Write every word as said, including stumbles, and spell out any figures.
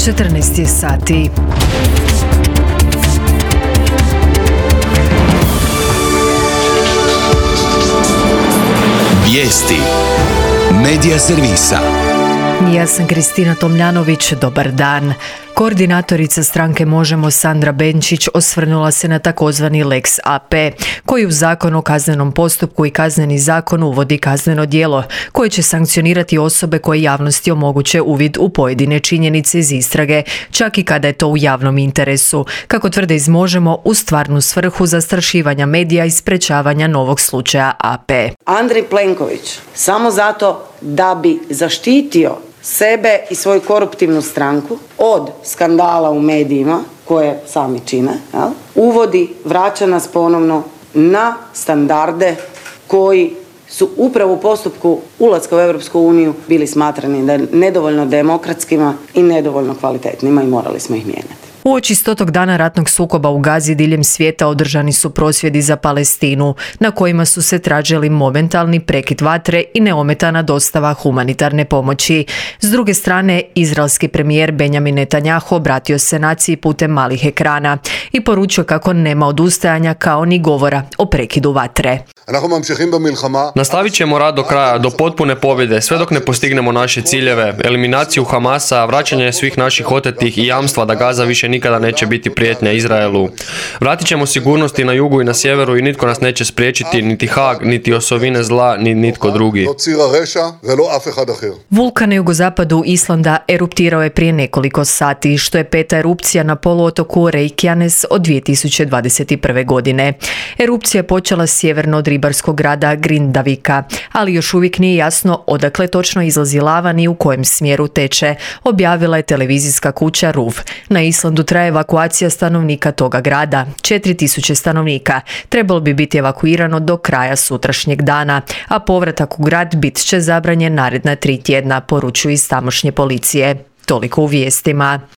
četrnaest je sati. Vijesti Medija servisa. Ja sam Kristina Tomljanović, dobar dan. Koordinatorica stranke Možemo Sandra Benčić osvrnula se na takozvani Lex A P, koji u Zakon o kaznenom postupku i Kazneni zakon uvodi kazneno djelo, koje će sankcionirati osobe koje javnosti omoguće uvid u pojedine činjenice iz istrage, čak i kada je to u javnom interesu, kako tvrde iz Možemo, u stvarnu svrhu zastrašivanja medija i sprečavanja novog slučaja A P. Andrej Plenković, samo zato da bi zaštitio sebe i svoju koruptivnu stranku od skandala u medijima koje sami čine, jel? Uvodi, vraća nas ponovno na standarde koji su upravo u postupku ulaska u Europsku uniju bili smatrani nedovoljno demokratskima i nedovoljno kvalitetnima i morali smo ih mijenjati. Uoči stotog dana ratnog sukoba u Gazi diljem svijeta održani su prosvjedi za Palestinu, na kojima su se tražili momentalni prekid vatre i neometana dostava humanitarne pomoći. S druge strane, izraelski premijer Benjamin Netanjahu obratio se naciji putem malih ekrana i poručio kako nema odustajanja kao ni govora o prekidu vatre. Nastavit ćemo rad do kraja, do potpune pobjede, sve dok ne postignemo naše ciljeve, eliminaciju Hamasa, vraćanje svih naših otetih i jamstva da Gaza više nikada neće biti prijetnja Izraelu. Vratit ćemo sigurnosti na jugu i na sjeveru i nitko nas neće spriječiti, niti Haag, niti osovine zla, ni nitko drugi. Vulkan na jugozapadu Islanda eruptirao je prije nekoliko sati, što je peta erupcija na poluotoku Reykjanes od dvije tisuće dvadeset prve. godine. Erupcija je počela sjeverno od ribarskog grada Grindavika, ali još uvijek nije jasno odakle točno izlazi lava ni u kojem smjeru teče, objavila je televizijska kuća R U V. Na Islandu traje evakuacija stanovnika toga grada. četiri tisuće stanovnika trebalo bi biti evakuirano do kraja sutrašnjeg dana, a povratak u grad bit će zabranjen naredna tri tjedna, poručuju iz tamošnje policije. Toliko u vijestima.